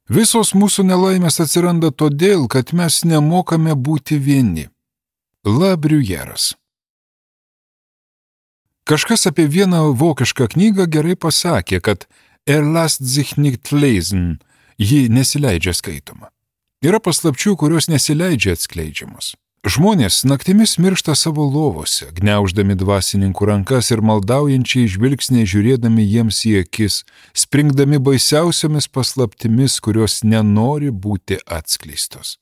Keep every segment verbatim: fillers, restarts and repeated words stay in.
Visos mūsų nelaimės atsiranda todėl, kad mes nemokame būti vieni. La Bruyèras. Kažkas apie vieną vokišką knygą gerai pasakė, kad er lasst sich nicht lesen, ji nesileidžia skaitoma. Yra paslapčių, kurios nesileidžia atskleidžiamos. Žmonės naktimis miršta savo lovose, gniauždami dvasininkų rankas ir maldaujančiai žvilgsniai žiūrėdami jiems į akis, springdami baisiausiamis paslaptimis, kurios nenori būti atskleistos.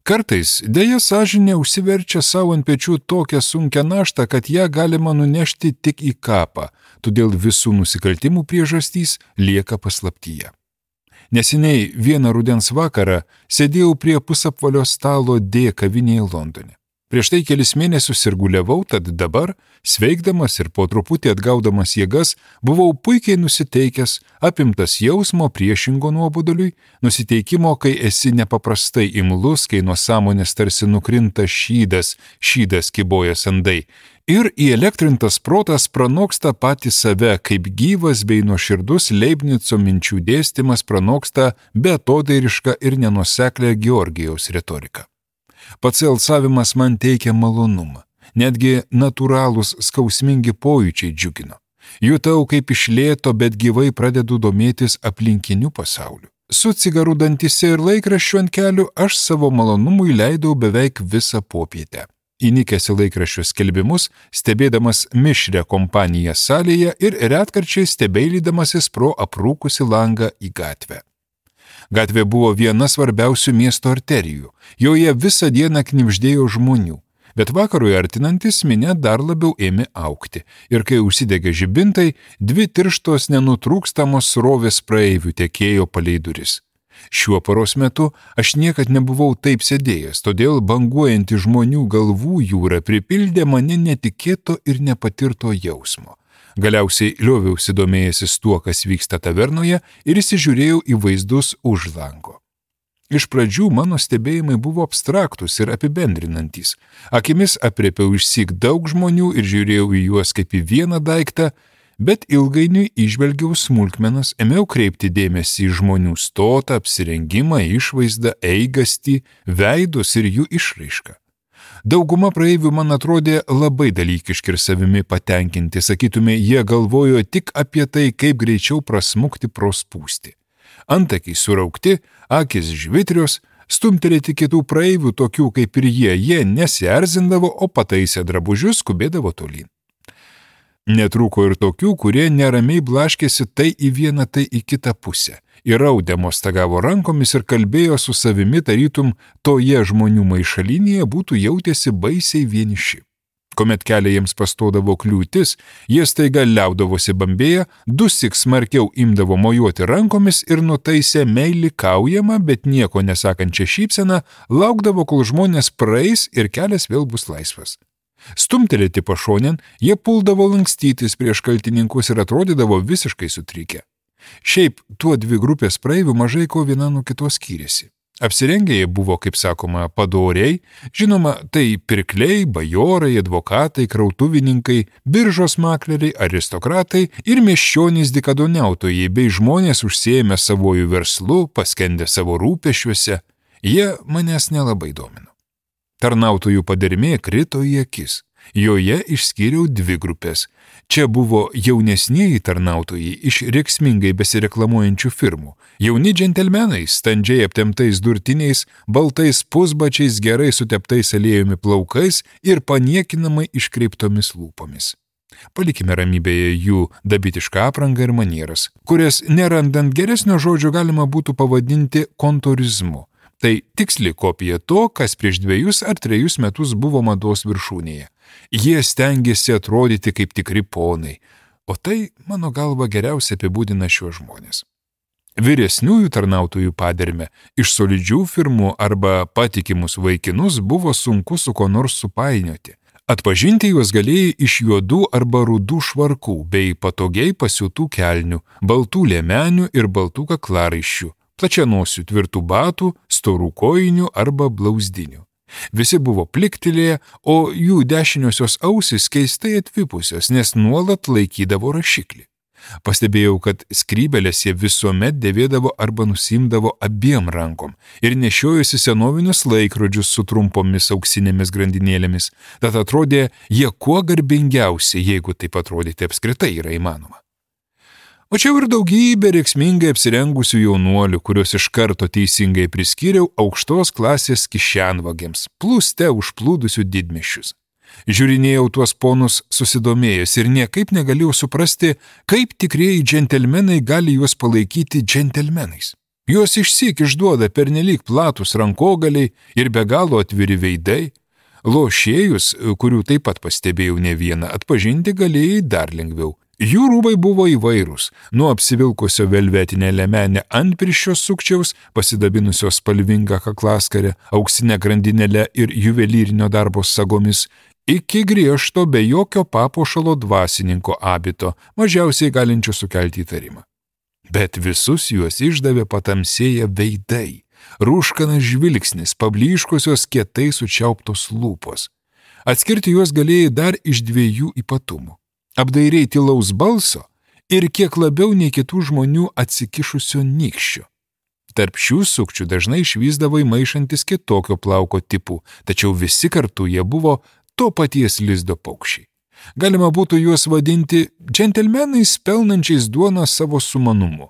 Kartais dėja sąžinė užsiverčia savo ant pečių tokią sunkią naštą, kad ją galima nunešti tik į kapą, todėl visų nusikaltimų priežastys lieka paslaptyje. Neseniai vieną rudens vakarą sėdėjau prie pusapvalio stalo D kavinėje Londone. Prieš tai kelis mėnesius sirguliavau, tad dabar, sveikdamas ir po truputį atgaudamas jėgas, buvau puikiai nusiteikęs, apimtas jausmo priešingo nuoboduliui, nusiteikimo, kai esi nepaprastai imlus, kai nuo sąmonės tarsi nukrinta šydas, šydas kybojas andai, ir įelektrintas protas pranoksta patį save, kaip gyvas bei nuoširdus Leibnico minčių dėstymas pranoksta beatodairišką ir nenuoseklią Georgijaus retoriką. Pats alsavimas man teikia malonumą, netgi natūralūs skausmingi pojūčiai džiugino. Jutau, kaip iš lėto, bet gyvai pradedu domėtis aplinkiniu pasauliu. Su cigaru dantyse ir laikraščiu ant kelių aš savo malonumui leidau beveik visą popietę. Įnikęs į laikraščių skelbimus, stebėdamas mišrią kompaniją salėje ir retkarčiai stebeilydamasis pro aprūkusi langą į gatvę. Gatvė buvo viena svarbiausių miesto arterijų, joje visą dieną knibždėjo žmonių, bet vakarui artinantis minia dar labiau ėmė augti ir kai užsidegė žibintai, dvi tirštos nenutrūkstamos srovės praeivių tekėjo palei duris. Šiuo paros metu aš niekad nebuvau taip sėdėjęs, todėl banguojanti žmonių galvų jūra pripildė mane netikėto ir nepatirto jausmo. Galiausiai lioviausi domėjęsis tuo, kas vyksta tavernoje ir įsižiūrėjau į vaizdus už lango. Iš pradžių mano stebėjimai buvo abstraktus ir apibendrinantys. Akimis aprėpiau išsyk daug žmonių ir žiūrėjau į juos kaip į vieną daiktą, bet ilgainiui įžvelgiau smulkmenas, ėmiau kreipti dėmesį į žmonių stotą, apsirengimą, išvaizdą, eigastį, veidus ir jų išraišką. Dauguma praeivių man atrodė labai dalykiški ir savimi patenkinti, sakytume, jie galvojo tik apie tai, kaip greičiau prasmukti pro spūstį. Antakiai suraukti, akis žvitrios, stumtelėti kitų praeivių tokių kaip ir jie, jie nesierzindavo, o pataisę drabužius skubėdavo tolyn. Netrūko ir tokių, kurie neramiai blaškėsi tai į vieną, tai į kitą pusę. Įraudę mostagavo rankomis ir kalbėjo su savimi, tarytum toje žmonių maišalinėje būtų jautėsi baisiai vieniši. Kuomet kelią jiems pastodavo kliūtis, jie staiga liaudavosi bambėję, dusik smarkiau imdavo mojuoti rankomis ir nutaisę meilikaujamą, bet nieko nesakančią šypseną, laukdavo, kol žmonės praeis ir kelias vėl bus laisvas. Stumtelėti pašonėn, jie puldavo lankstytis prieš kaltininkus ir atrodydavo visiškai sutrikę. Šiaip tuo dvi grupės praeivių mažai ko viena nuo kitos skyrėsi. Apsirengę jie buvo, kaip sakoma, padoriai, žinoma, tai pirkliai, bajorai, advokatai, krautuvininkai, biržos makleriai, aristokratai ir miesčionys dykadoniautojai bei žmonės užsiėmę savojų verslu, paskendę savo rūpesčiuose, jie manęs nelabai domino. Tarnautojų padermė krito į akis. Joje išskyriau dvi grupės. Čia buvo jaunesnieji tarnautojai iš rėksmingai besireklamuojančių firmų, jauni džentelmenai, standžiai aptemptais durtiniais, baltais pusbačiais, gerai suteptais aliejumi plaukais ir paniekinamai iškreiptomis lūpomis. Palikime ramybėje jų dabitišką aprangą ir manieras, kurias nerandant geresnio žodžio galima būtų pavadinti kontorizmu. Tai tiksli kopija to, kas prieš dviejus ar trejus metus buvo mados viršūnėje. Jie stengiasi atrodyti kaip tikri ponai, o tai, mano galva, geriausiai apibūdina šiuos žmonės. Vyresniųjų tarnautojų padermę iš solidžių firmų arba patikimus vaikinus buvo sunku su ko nors supainioti. Atpažinti juos galėjai iš juodų arba rudų švarkų bei patogiai pasiūtų kelnių, baltų liemenių ir baltų kaklaraiščių, plačianosių tvirtų batų, storų kojinių arba blauzdinių. Visi buvo pliktelėję, o jų dešiniosios ausys keistai atvipusios, nes nuolat laikydavo rašiklį. Pastebėjau, kad skrybelės jie visuomet dėvėdavo arba nusimdavo abiem rankom ir nešiojosi senovinius laikrodžius su trumpomis auksinėmis grandinėlėmis, tad atrodė jie kuo garbingiausi, jeigu taip atrodyti apskritai yra įmanoma. O čia ir daugybė reiksmingai apsirengusių jaunuolių, kuriuos iš karto teisingai priskyriau aukštos klasės kišenvagiams, plūste užplūdusių didmiesčius. Žiūrinėjau tuos ponus susidomėjęs ir niekaip negalėjau suprasti, kaip tikrieji džentelmenai gali juos palaikyti džentelmenais. Juos išsyk išduoda pernelyg platus rankogaliai ir be galo atviri veidai. Lošėjus, kurių taip pat pastebėjau ne vieną, atpažinti galėjai dar lengviau. Jų rūbai buvo įvairūs, nuo apsivilkusio velvetinę lemenę antpirščio sukčiaus, pasidabinusio spalvingą kaklaskarę, auksinę grandinėlę ir juvelyrinio darbo sagomis, iki griežto be jokio papuošalo dvasininko abito, mažiausiai galinčio sukelti įtarimą. Bet visus juos išdavė patamsėję veidai, rūškanas žvilgsnis, pablyškusios kietai sučiauptos lūpos. Atskirti juos galėjai dar iš dviejų ypatumų. Apdairiai tylaus balso ir kiek labiau nei kitų žmonių atsikišusio nykščio. Tarp šių sukčių dažnai išvysdavai maišantis kitokio plauko tipų, tačiau visi kartu jie buvo to paties lizdo paukščiai. Galima būtų juos vadinti džentelmenais pelnančiais duoną savo sumanumu.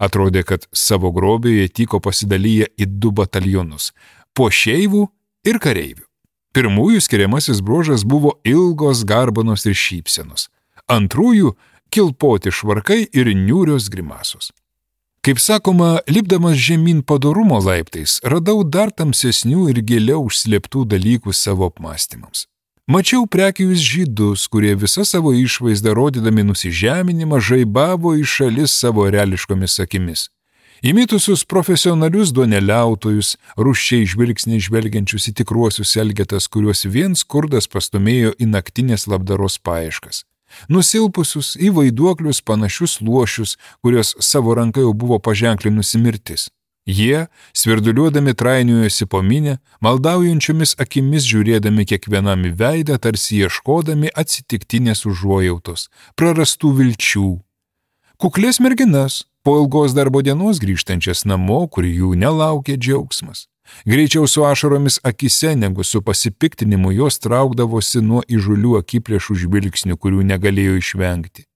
Atrodė, kad savo grobį jie tyko pasidalyję į du batalionus – puošeivų ir kareivių. Pirmųjų skiriamasis bruožas buvo ilgos garbanos ir šypsenos. Antrųjų – kilpoti švarkai ir niūrios grimasos. Kaip sakoma, lipdamas žemyn padorumo laiptais, radau dar tamsesnių ir giliau užslėptų dalykų savo apmąstymams. Mačiau prekius žydus, kurie visą savo išvaizdą rodydami nusižeminimą žaibavo į šalis savo reališkomis akimis. Įmitusius profesionalius duoneliautojus, rūsčiai žvilgsniai žvelgiančius į tikruosius elgetas, kuriuos vien skurdas pastumėjo į naktinės labdaros paieškas. Nusilpusius į vaiduoklius panašius luošius, kurios savo ranka jau buvo paženklinusi mirtis. Jie, svirduliuodami trainiojosi po minę, maldaujančiomis akimis žiūrėdami kiekvienam į veidą, tarsi ieškodami atsitiktinės užuojautos, prarastų vilčių. Kuklės merginas, po ilgos darbo dienos grįžtančias namo, kur jų nelaukė džiaugsmas. Greičiau su ašaromis akise, negu su pasipiktinimu jos traukdavosi nuo įžulių akiplėšų žvilgsnių, kurių negalėjo išvengti.